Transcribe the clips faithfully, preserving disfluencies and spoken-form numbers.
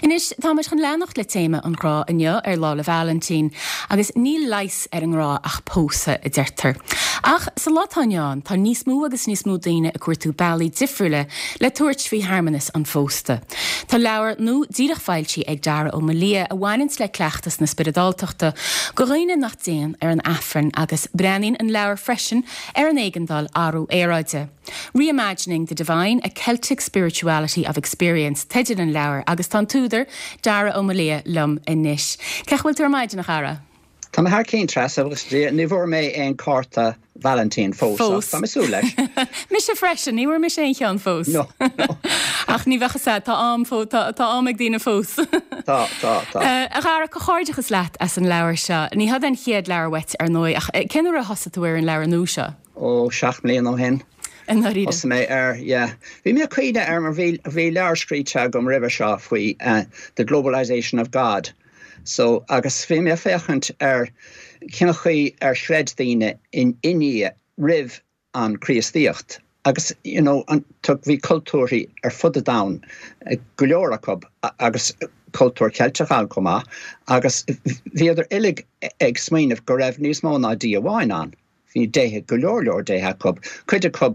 Anois tá muid chun leanacht le téama an ghrá inniu ar Lá 'le Vailintín, agus níl leigheas ar an ngrá ach pósadh a deirtear. Ach sa lá atá inniu ann tá níos mó agus níos mó daoine ag cuartú bealaí difriúla le tabhairt faoi shearmanas an phósta. Tá leabhar nua díreach foilsithe ag Dara Ó Malia a bhaineanns le cleachtas na spioradáltachta do dhaoine nach dtéann ar an Aifreann agus breathnaíonn an leabhar freisin ar an éigeandáil athrú aeráide. Reimagining the Divine, a Celtic Spirituality of Experience, teideal an leabhair agus tá an t-údar Dara Ó Malia liom anois. Cén chaoi a bhfuil tú ar maidin a Dhara? Tá mé thar cionn Treasa agus ní bhfuair mé aon cárta Valentine fós Tá mé ag súil leis. Mise freisin, ní bhfuair mise aon cheann fós. No, no. Ach ní bheadh sé tá am tá am ag daoine fós. Tá tá tá. A Dhara comhghairdeachas leat as an leabhar seo, ní hé an chéad leabhar uait ar ndóigh ach cén uair a thosaigh tú ar an leabhar nua seo? Ó seacht mbliana ó shin. Thosaigh mé ar yeah. Bhí mé cuimhne ar mar bhí bhí leabhar scríte agam roimhe seo faoi uh, the globalization of God. So agus bhí mé féachaint ar cén chaoi ar chreid daoine in i nDia roimh an Chríostaíocht. Agus you know, an, bhí cultúrthaí ar fud an domhain go leor acu agus cultúr Ceilteach ann chomh maith, agus bhíodar uilig ag smaoineamh go raibh níos mó ná Dia amháin ann. Bhí déithe go leor leor déithe acu, cuid acu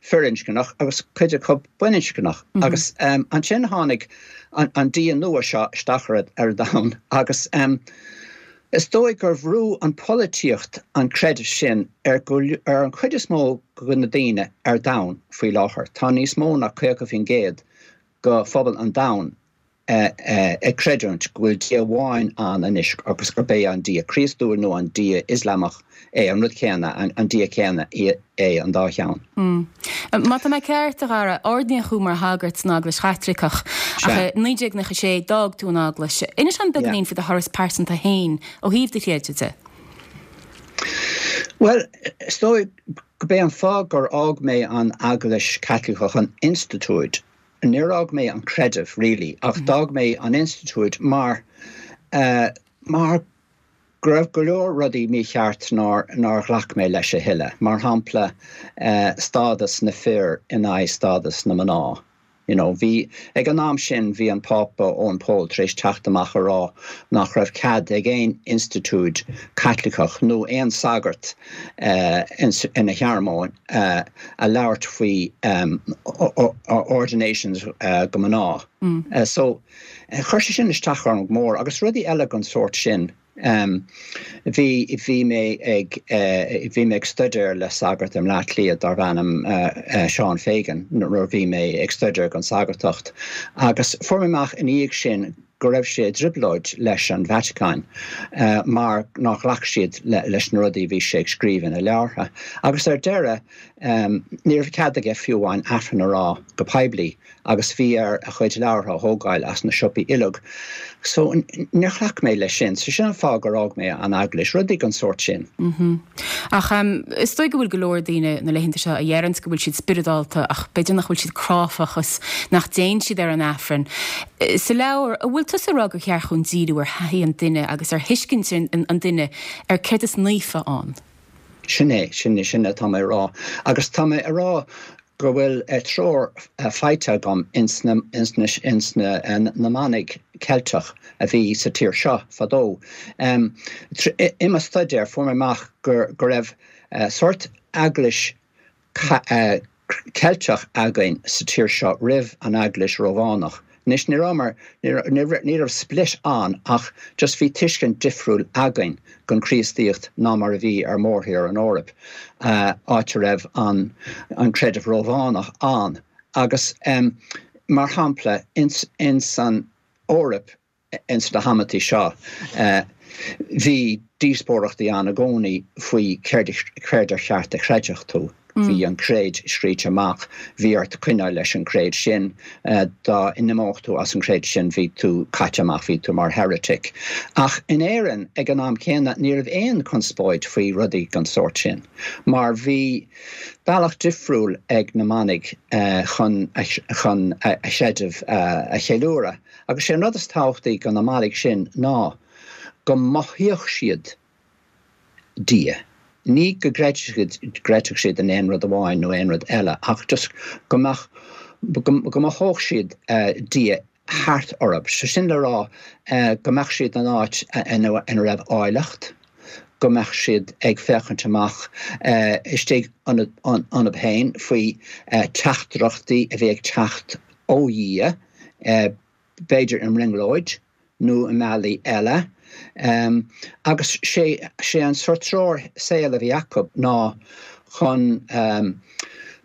firinscneach agus cuid acu baininscneach. Mm -hmm. Agus um, ansin tháinig an, an dia nua seo isteach ar ar domhan agus um, is dóigh gur bhrú an pholaitíocht an creideamh sin ar, ar an chuid is mó de na daoine ar domhan faoi láthair. Tá níos mó ná caoga faoin gcéad de phobal an domhain ag creidiúint go bhfuil Dia amháin ann anois agus gurb é an Dia Críostúil nó an Dia Ioslamach é an rud céanna an Dia céanna é an dá cheann. Mm. Má tá mé ceart a Dhara ordaíodh thú mar shagart san Eaglais Chaitliceach ach naoi déag nócha sé d'fhág tú an Eaglais. Inis dom beagáinín faoi do thuras pearsanta féin ó thaobh do chreidimh de. Well, is dóigh gurb é an fáth gur fhág mé an Eaglais Chaitliceach an institiúid níor fhág mé an creideamh really ach mm. d'fhág mé an institiúid mar uh, mar go raibh go leor rudaí mícheart nár nár ghlac mé leis a thuilleadh, mar shampla uh, stádas na bhfear in aghaidh stádas na mná. You know, bhí ag an am sin bhí an Pápa Eoin Pól tar éis teacht amach a rá nach raibh cead ag aon institiúid Chaitliceach nó aon sagart uh, ina shearmóin uh, a labhairt faoi um, ordinations uh, do mhná. Mm. Uh, so uh, chuir sé sin isteach orm mór agus rudaí eile den sórt sin. Um, bhí bhí mé ag uh, bhí mé ag staidéar le sagart i mBleá Cliath darbh ainm uh, uh, Seán Fagan nuair bhí mé ag staidéar don sagartacht agus fuair mé amach ina dhiaidh sin go raibh sé i dtrioblóid leis an Vatican uh, mar nár ghlac siad le, leis na rudaí bhí sé ag scríobh ina leabhartha. Agus ar deireadh um, ní raibh cead aige fiú amháin Aifreann a rá go poiblí agus bhí air a chuid leabhartha a thógáil as na siopaí uilig. So níor ghlac mé leis sin, so sin an fáth gur fhág mé an eaglais rudaí den sórt sin. Mm -hmm. Ach um, is dóigh go bhfuil go leor daoine na laethanta seo a deireann go bhfuil siad spioradálta ach b'fhéidir nach bhfuil siad cráifeach is nach dtéann siad ar an Aifreann. Sa leabhar an bhfuil tusa ag rá gur cheart dúinn díriú ar thaithí an duine agus ar thuiscint an, an duine ar céard is naofa ann. Sin é sin é sin atá mé a rá. Agus tá mé a rá go bhfuil treoir faighte agam ins na, ins na, ins na, na manaigh Ceilteach a bhí sa tír seo fadó. Um, I mo staidéar fuair mé amach gur go raibh uh, sórt eaglais uh, Ceilteach againn sa tír seo roimh an eaglais Rómhánach. Anois ní mar ní raibh split ann ach just bhí tuiscint difriúil againn den Chríostaíocht ná mar a bhí ar mórthír an Eoraip uh, áit a raibh an, an creideamh Rómhánach ann. Agus um, mar shampla ins, ins an Eoraip ins na hamantaí seo uh, bhí díospóireachtaí ann i gcónaí faoi céard ar cheart a chreidfeadh tú. Mm. Bhí an creid scríte amach, bhí ort coinneáil leis an creid sin uh, dá n-imeodh tú as an creid sin bhí tú caite amach bhí tú mar heretic. Ach in Éirinn ag an am céanna ní raibh aon chonspóid faoi rudaí den sórt sin. Mar bhí bealach difriúil ag na manaigh uh, chun chun a chreideamh uh, a cheiliúradh. Agus sé an rud is tábhachtaí do na manaigh sin ná go mothaíodh siad Dia. Ní go gcreidfeadh siad in aon rud amháin nó aon rud eile ach just go mbeadh go mothódh siad uh, Dia thart orthu. So sin le rá go mbeadh siad in áit ina raibh áilleacht, go mbeadh siad ag féachaint amach istigh iontu féin faoi teachtaireachtaí a bhí ag teacht ó Dhia, b'fhéidir i mbrionglóid nó i mbealaí eile. Agus sé sé an sórt treoir saoil a bhí acu ná chun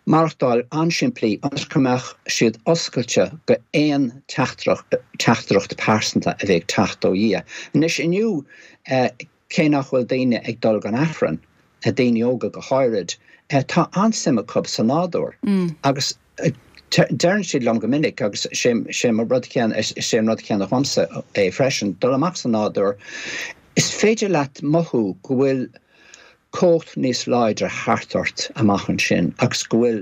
maireachtáil an-simplí ionas go mbeadh siad oscailte go aon teachtaireacht teachtaireacht pearsanta a bhí ag teacht ó Dhia. Anois inniu cé nach bhfuil daoine ag dul don Aifreann, daoine óga go háirid, tá an-suim acu sa nádúr agus deireann siad liom go minic agus sé sé mo rud céanna is é an rud céanna dhomsa é freisin, dul amach sa nádúr, is féidir leat mothú go bhfuil cumhacht níos láidre thart ort amach ansin agus go bhfuil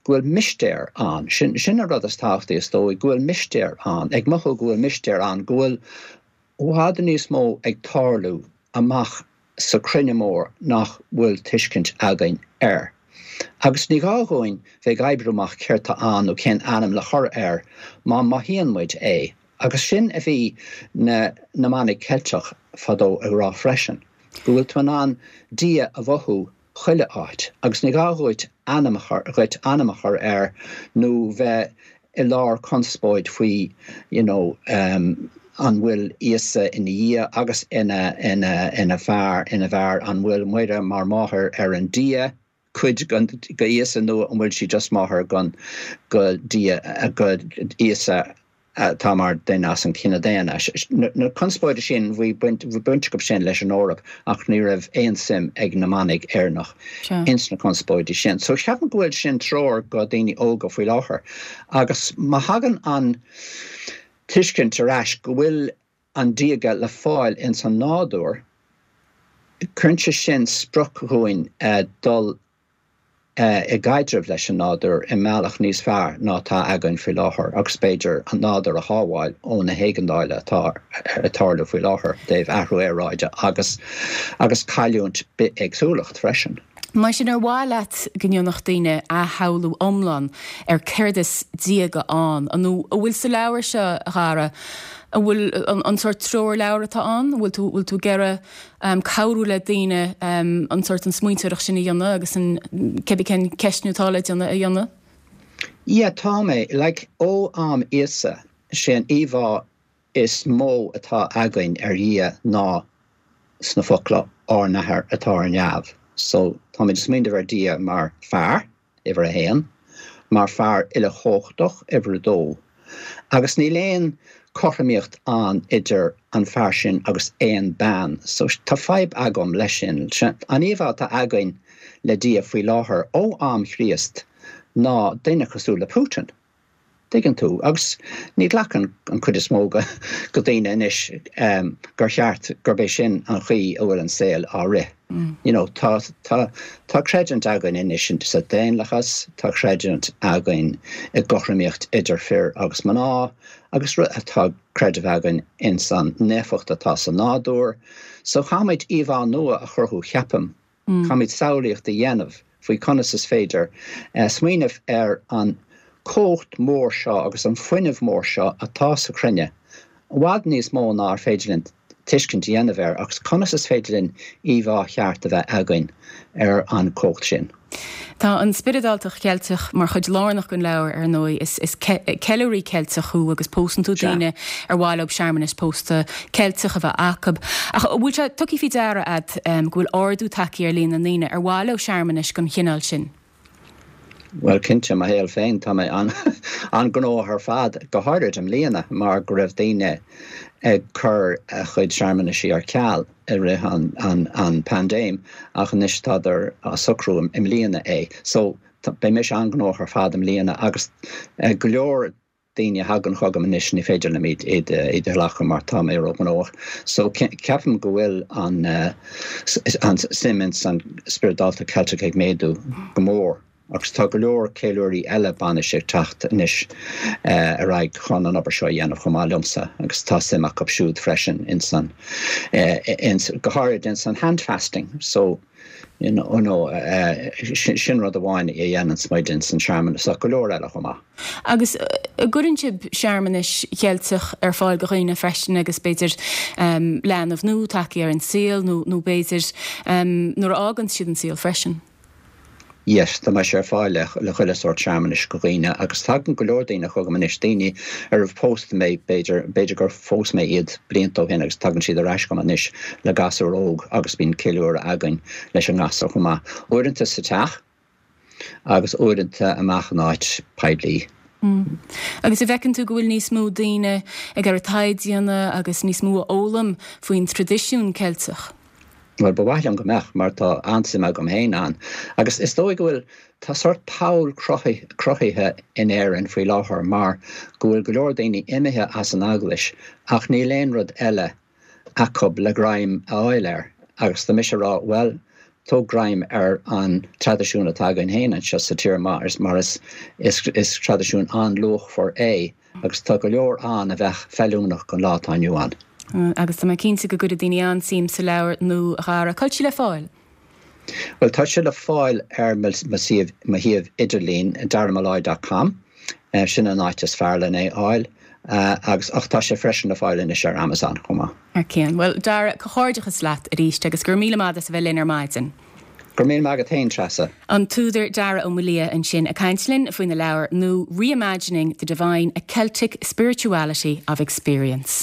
go bhfuil mistéir ann. Sin sin an rud is tábhachtaí is dóigh, go bhfuil mistéir ann, ag mothú go bhfuil mistéir ann, go bhfuil i bhfad níos mó ag tarlú amach sa chruinne mór nach bhfuil tuiscint againn air. Agus ní gá dhúinn bheith ag oibriú amach céard tá ann nó cén ainm le chur air má mothaíonn muid é. Agus sin a bhí na na manaigh Ceilteach fadó ag rá freisin. go bhfuil tú in ann Dia a mhothú chuile áit agus ní gá dhuit ainm a chur dhuit ainm a chur air nó bheith i lár conspóid faoi you know um, an bhfuil Íosa ina Dhia agus ina ina ina fear ina bhfear an bhfuil Muire mar máthair ar an Dia cuid go Íosa nó an bhfuil sí just máthair gon go Dia go Íosa atá mar duine as an cine daonna. Na conspóidí sin bhí baint acu sin leis an Eoraip ach ní raibh aon suim ag na manaigh Éireannach ins na conspóidí sin. So ceapaim go bhfuil sin treoir go daoine óga faoi láthair. Agus má thagann an tuiscint ar ais go bhfuil an diaga le fáil ins an nádúr, cuireann sé sin sprioc dhúinn dul i gcaidreamh leis an nádúr i mbealach níos fearr ná atá againn faoi láthair agus b'fhéidir an nádúr a shábháil ó na héigeandála atá ag tarlú faoi láthair dtaobh athrú aeráide agus agus cailliúint bithéagsúlacht freisin. Mar sin ar mhaith leat go ndéanfadh daoine athshamhlú iomlán ar céard is diaga ann, nó an bhfuil sa leabhar seo a Dhara, an bhfuil an sórt treoirleabhar atá ann, bhfuil tú bhfuil tú ag iarraidh cabhrú le daoine an sórt an smaointeoireacht sin a dhéanamh agus an cibé cén ceistniú atá le déanamh a dhéanamh? Yeah, tá mé. Like, ó am Íosa, sé an íomhá is mó atá againn ar Dhia ná sna focla ár n-athair atá ar neamh. So táimid ag smaoineamh ar Dhia mar fear, uimhir a haon, mar fear uilechumhachtach, uimhir a dó. Agus níl aon cothromaíocht ann idir an fear sin agus aon bean. So tá fadhb agam leis sin. An íomhá atá againn le Dia faoi láthair ó am Chríost ná duine cosúil le Putin. Tuigeann tú, agus ní ghlacann an chuid is mó go daoine anois gur cheart gurb é sin an chaoi a bhfuil an saol á rith. You know, tá tá tá creidiúint againn anois sa daonlathas, tá creidiúint againn i gcothromaíocht idir fir agus mná, agus tá creideamh againn ins an naofacht atá sa nádúr. So caithfimid íomhá nua a chruthú, ceapaim. Caithfimid samhlaíocht a dhéanamh faoi conas is féidir smaoineamh ar an cumhacht mór seo agus an fuinneamh mór seo atá sa chruinne, i bhfad níos mó ná ar féidir linn tuiscint a dhéanamh air, agus conas is féidir linn íomhá cheart a bheith againn ar an chumhacht sin. Tá an spioradáltacht Cheilteach mar chuid lárnach den leabhar, ar ndóigh. Is is ceiliúraí Ceilteach thú agus pósann tú daoine ar mhaith leo searmanas pósta Ceilteach a bheith acu. Ach an bhfuil sé tugtha faoi deara agat go bhfuil ardú tagtha ar líon na ndaoine ar mhaith leo searmanais den chineál sin? Bhuel, cinnte, mo shaol féin, tá mé an-ghnóthach ar fad, go háirid i mbliana, mar go raibh daoine ag cur a chuid searmanaisí ar ceal i rith an, an, an paindéim, ach anois tádar á socrú i mbliana é. So, beidh mise an-ghnóthach ar fad i mbliana agus go leor daoine a thagann chugam anois ní féidir liom iad iad iad a ghlacadh mar tá mé róghnóthach. So ceapaim go bhfuil an an suim ins an spioradáltacht Ceilteach ag méadú go mór agus tá go leor ceiliúraí eile bainise ag teacht anois ar aghaidh chun an obair seo a dhéanamh chomh maith liomsa agus tá suim acu siúd freisin ins an ins go háirid ins an handfasting. So You know, no, uh, sin rud amháin a dhéanann muid in san searmanas ach go leor eile chomh maith. Agus cuireann sibh searmanais Cheilteach ar fáil do dhaoine freisin agus b'fhéidir um, leanbh nua tagtha ar an saol nó nó b'fhéidir um, nuair a fhágann siad an saol freisin. Yes, tá mé ar fáil le le chuile sórt searmanais do dhaoine agus tagann go leor daoine chugam anois daoine ar phós mé b'fhéidir b'fhéidir gur phós mé iad blianta ó shin agus tagann siad ar ais chugam anois le gasúr óg agus bíonn ceiliúradh againn leis an ngasúr chomh maith. Uaireanta sa teach agus uaireanta amach in áit poiblí. Mm. Agus an bhfeiceann tú go bhfuil níos mó daoine ag ar taighde agus níos mó a fhoghlaim faoin traidisiún Ceilteach. Well ba mhaith liom go mbeadh mar tá an-suim agam féin ann. Agus is dóigh go bhfuil tá sórt poll cruthaithe in Éirinn faoi láthair mar go bhfuil go leor daoine imithe as an eaglais ach níl aon rud eile acu le greim a fháil air. agus tá mise ag rá well tóg greim ar an traidisiún atá againn féin anseo sa tír mar is mar is is, is traidisiún an-luachmhar é agus tá go leor ann a bheith feiliúnach don lá atá inniu ann. Mm, agus tá mé cinnte go gcuirfidh daoine an-suim sa leabhar nua a Dhara cá bhfuil sé le fáil. Well tá sé le fáil ar mo shuíomh idirlín daramolloy.com uh, sin an áit is fearr lena fháil uh, agus ach tá sé freisin le fáil anois ar Amazon chomh maith. Ar cén. Well Dara comhghairdeachas leat arís agus gur míle maith as a bheith linn ar maidin. Gur mí agat féin Treasa. An t-údar Dara Ó Maolaodha ansin ag caint linn faoina leabhar nua Reimagining the Divine a Celtic Spirituality of Experience.